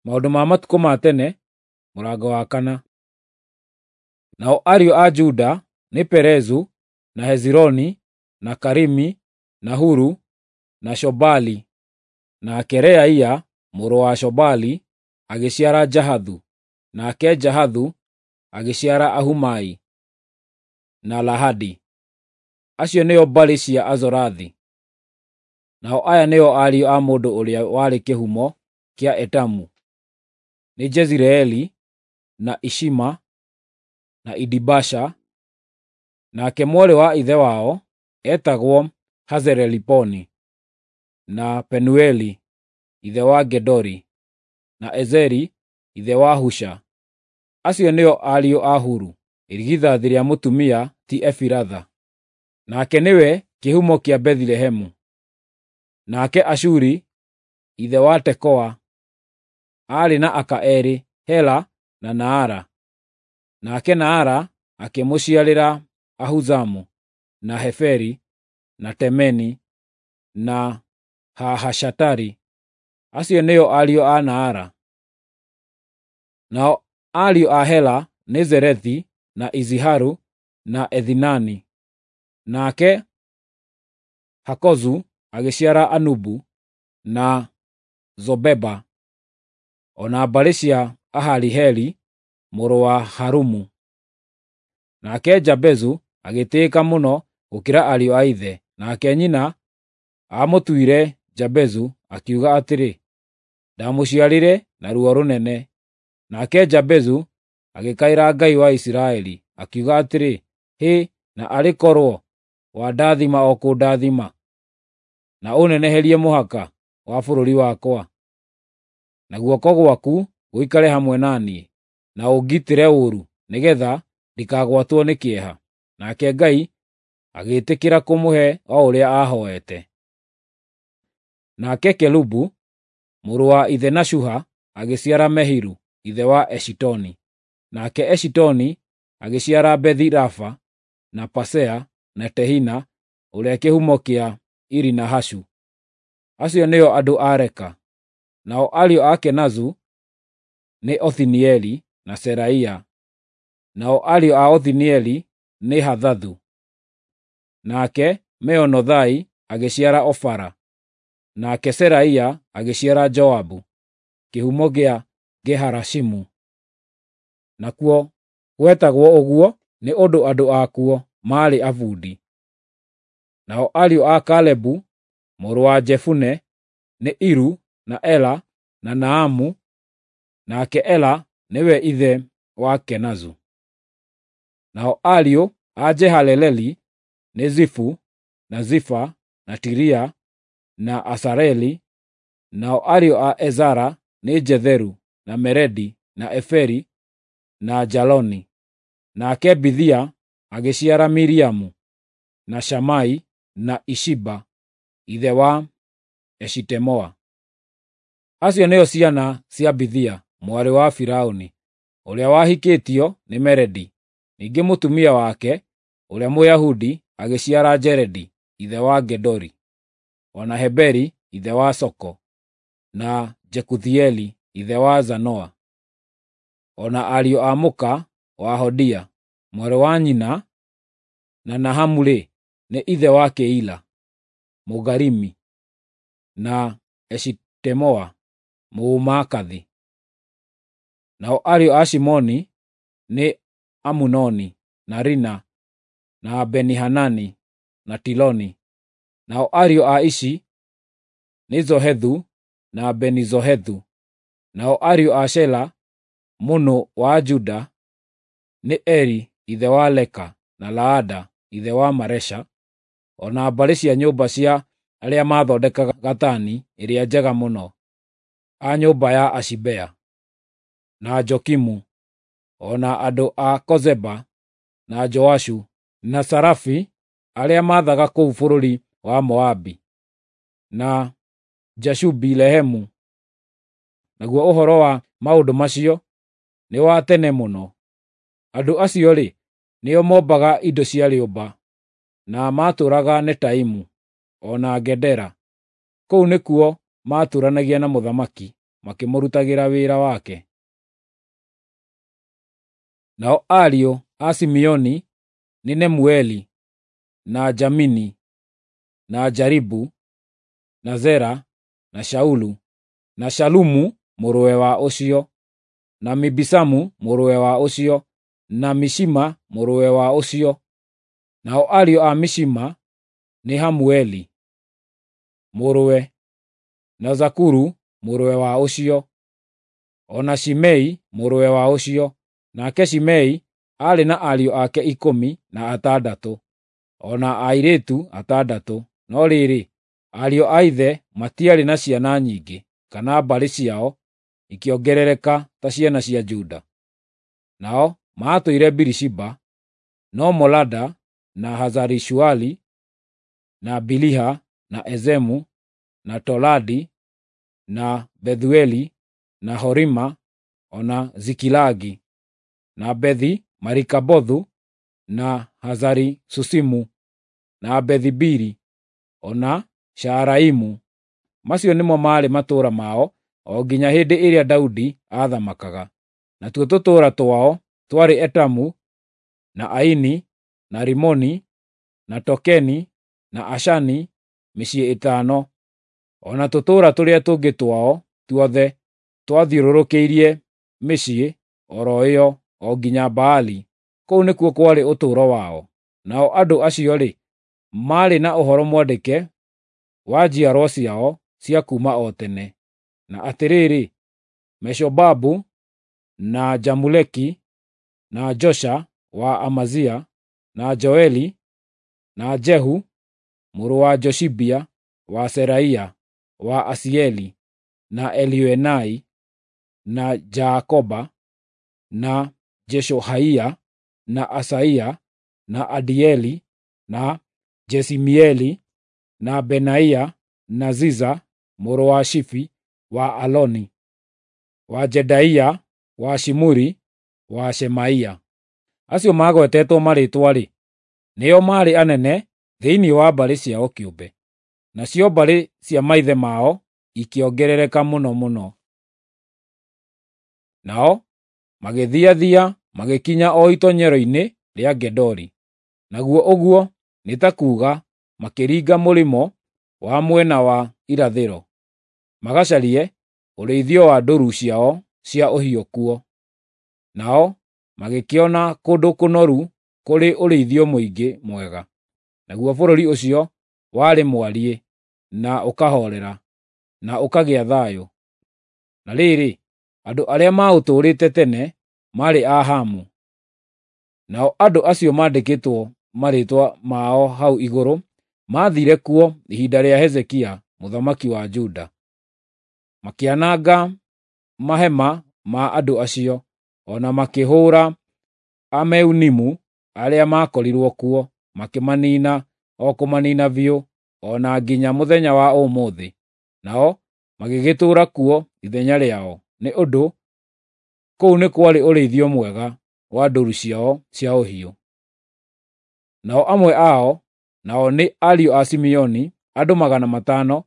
Maũndũ ma Matukũ ma Tene, mũrango wa kana. Nao ariũ a Juda nĩ Perezu, na Hezironi, na Karimi, na Huru, na Shobali. Nake Reaia mũrũ wa Shobali agĩciara Jahathu, nake Jahathu agĩciara Ahumai na Lahadi. Acio nĩo mbarĩ cia Azorathi. Nao aya nĩo ariũ a mũndũ ũrĩa warĩ kĩhumo kĩa Etamu, nĩ Jezireeli, na Ishima, na Idibasha. Nake mwarĩ wa ithe wao eetagwo Hazeleliponi, na Penueli ithe wa Gedori, na Ezeri ithe wa Husha. Acio nĩo ariũ a Huru, irigithathi rĩa mũtumia ti Efiratha. Nake nĩwe kĩhumo kĩa Bethilehemu. Nake Ashuri ithe wa Tekoa aarĩ na aka eerĩ, Hela na Naara. Nake Naara akĩmũciarĩra Ahuzamu, na Heferi, na Temeni, na Haahashatari. Acio nĩo ariũ a Naara. Nao ariũ a Hela nĩ Zerethi, na Iziharu, na Ethinani. Nake Hakozu agĩciara Anubu na Zobeba, o na mbarĩ cia Ahariheli mũrũ wa Harumu. Nake Jabezu agĩtĩĩka mũno gũkĩra ariũ a ithe, nake nyina aamũtuire Jabezu, akiuga atĩrĩ, “Ndamũciarire na ruo rũnene.” Nake Jabezu agĩkaĩra Ngai wa Isiraeli, akiuga atĩrĩ, “Hĩ, na arĩ korwo wandathima o kũndathima, na ũneneherie mũhaka wa bũrũri wakwa, na guoko gwaku gũikare hamwe na niĩ, na ũngitĩre ũũru, nĩgeetha ndikagwatwo nĩ kĩeha.” Nake Ngai agĩĩtĩkĩra kũmũhe o ũrĩa aahooete. Nake Kelubu mũrũ wa ithe na Shuha agĩciara Mehiru ithe wa Eshitoni. Nake Eshitoni agĩciara Bethi-Rafa, na Pasea, na Tehina ũrĩa kĩhumo kĩa Iri-Nahashu. Acio nĩo andũ a Reka. Nao ariũ a Kenazu nĩ Othinieli na Seraia. Nao ariũ a Othinieli nĩ Hathathu. Nake Meonothai agĩciara Ofara. Nake Seraia agĩciara Joabu, kĩhumo kĩa Ge-Harashimu. Nakuo gwetagwo ũguo nĩ ũndũ andũ akuo maarĩ abundi. Nao ariũ a Kalebu mũrũ wa Jefune nĩ Iru, na Ela, na Naamu. Nake Ela nĩwe ithe wa Kenazu. Nao ariũ a Jehaleleli nĩ Zifu, na Zifa, na Tiria, na Asareli. Nao ariũ a Ezara nĩ Jetheru, na Meredi, na Eferi, na Jaloni. Nake Bithia agĩciara Miriamu, na Shamai, na Ishiba ithe wa Eshitemoa. Acio nĩo ciana cia Bithia mwarĩ wa Firaũni, ũrĩa wahikĩtio nĩ Meredi. Ningĩ mũtumia wake ũrĩa Mũyahudi agĩciara Jeredi ithe wa Gedori, o na Heberi ithe wa Soko, na Jekuthieli ithe wa Zanoa, o na ariũ a mũka wa Hodia, mwarĩ wa nyina na Nahamu-rĩ, nĩ ithe wa Keila Mũgarimi, na Eshitemoa Mũmaakathi. Nao ariũ a Shimoni nĩ Amunoni, na Rina, na Beni-Hanani, na Tiloni. Nao ariũ a Ishi nĩ Zohethu na Beni-Zohethu. Nao ariũ a Shela mũnũ wa Juda nĩ Eri ithe wa Leka, na Laada ithe wa Maresha, o na mbarĩ cia nyũmba cia arĩa maathondekaga gatani ĩrĩa njega mũno, a nyũmba ya Ashibea, na Jokimu, o na andũ a Kozeba, na Joashu, na Sarafi arĩa maathaga kũu bũrũri wa Moabi, na Jashubi-Lehemu. Naguo ũhoro wa maũndũ macio nĩ wa tene mũno. Andũ acio-rĩ, nĩo mombaga indo cia rĩũmba, na maatũũraga Netaimu o na Gedera. Kũu nĩkuo maatũũranagia na mũthamaki. makĩmũrutagĩra wĩra wake. Nao ariũ a Simeoni nĩ Nemueli, na Jamini, na Jaribu, na Zera, na Shaulu, na Shalumu mũrũwe wa ũcio, na Mibisamu mũrũwe wa ũcio, na Mishima mũrũwe wa ũcio. Nao ariũ a Mishima nĩ Hamueli mũrũwe, na Zakuru mũrũwe wa ũcio, o na Shimei mũrũwe wa ũcio. Nake Shimei aarĩ na ariũ ake 16, o na airĩtu 6. No rĩrĩ, ariũ a ithe matiarĩ na ciana nyingĩ, kana mbarĩ ciao ikĩongerereka ta ciana cia Juda. Nao maatũire Birishiba, no Molada, na Hazari-Shuali, na Biliha, na Ezemu, na Toladi, na Bethueli, na Horima, o na Zikilagi, na Bethi-Marikabothu, na Hazari-Susimu, na Bethi-Biri, o na Shaaraimu. Macio nĩmo maarĩ matũũra mao o nginya hĩndĩ ĩrĩa Daudi aathamakaga. Natuo tũtũũra twao twarĩ Etamu, na Aini, na Rimoni, na Tokeni, na Ashani, mĩciĩ 5, o na tũtũũra tũrĩa tũngĩ twao tuothe twathiũrũrũkĩirie mĩciĩ o ro ĩyo o nginya Baali. Kũu nĩkuo kwarĩ ũtũũro wao. Nao andũ acio-rĩ, maarĩ na ũhoro mwandĩke wa njiarwa ciao cia kuuma o tene. Na atĩrĩrĩ, Meshobabu na Jamuleki na Josha wa Amazia na Joeli na Jehu mũrũ wa Joshibia wa Seraia wa Asieli na Elioenai na Jaakoba na Jeshohaia na Asaia na Adieli na Jesimieli na Benaia na Ziza mũrũ wa Shifi wa Aloni wa Jedaia wa Shimuri wa Shemaia. Acio magwetetwo marĩĩtwa-rĩ, nĩo maarĩ anene thĩinĩ wa mbarĩ ciao kĩũmbe, nacio mbarĩ cia maithe mao ikĩongerereka mũno mũno. Nao magĩthiathia magĩkinya o itoonyero-inĩ rĩa Gedori, naguo ũguo nĩ ta kuuga makĩringa mũrĩmo wa mwena wa irathĩro, magacarie ũrĩithio wa ndũũru ciao cia ũhiũ kuo. Nao magĩkĩona kũndũ kũnoru kũrĩ ũrĩithio mũingĩ mwega, naguo bũrũri ũcio warĩ mwariĩ na ũkahoorera, na ũkagĩa thayũ. Na rĩrĩ, andũ arĩa maũtũũrĩte tene maarĩ a Hamu. Nao andũ acio maandĩkĩtwo marĩĩtwa mao hau igũrũ maathiire kuo ihinda rĩa Hezekia mũthamaki wa Juda. Makĩananga mahema ma andũ acio, o na makĩhũũra Ameunimu arĩa maakorirwo kuo, makĩmaniina o kũmaniina biũ, o na nginya mũthenya wa ũmũthĩ. Nao magĩgĩtũũra kuo ithenya rĩao, nĩ ũndũ kũu nĩ kwarĩ ũrĩithio mwega wa ndũũru ciao cia ũhiũ. Nao amwe ao, nao nĩ ariũ a Simeoni, andũ 500,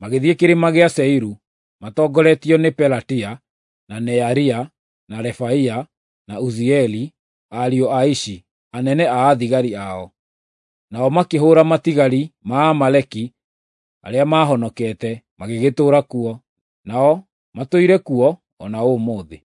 magĩthiĩ kĩrĩma gĩa Seiru matongoretio nĩ Pelatia, na Nearia, na Refaia, na Uzieli, ariũ a Ishi, anene a athigari ao. Nao makĩhũũra matigari ma Amaleki arĩa maahonokete, magĩgĩtũũra kuo. Nao matũire kuo o na ũmũthĩ.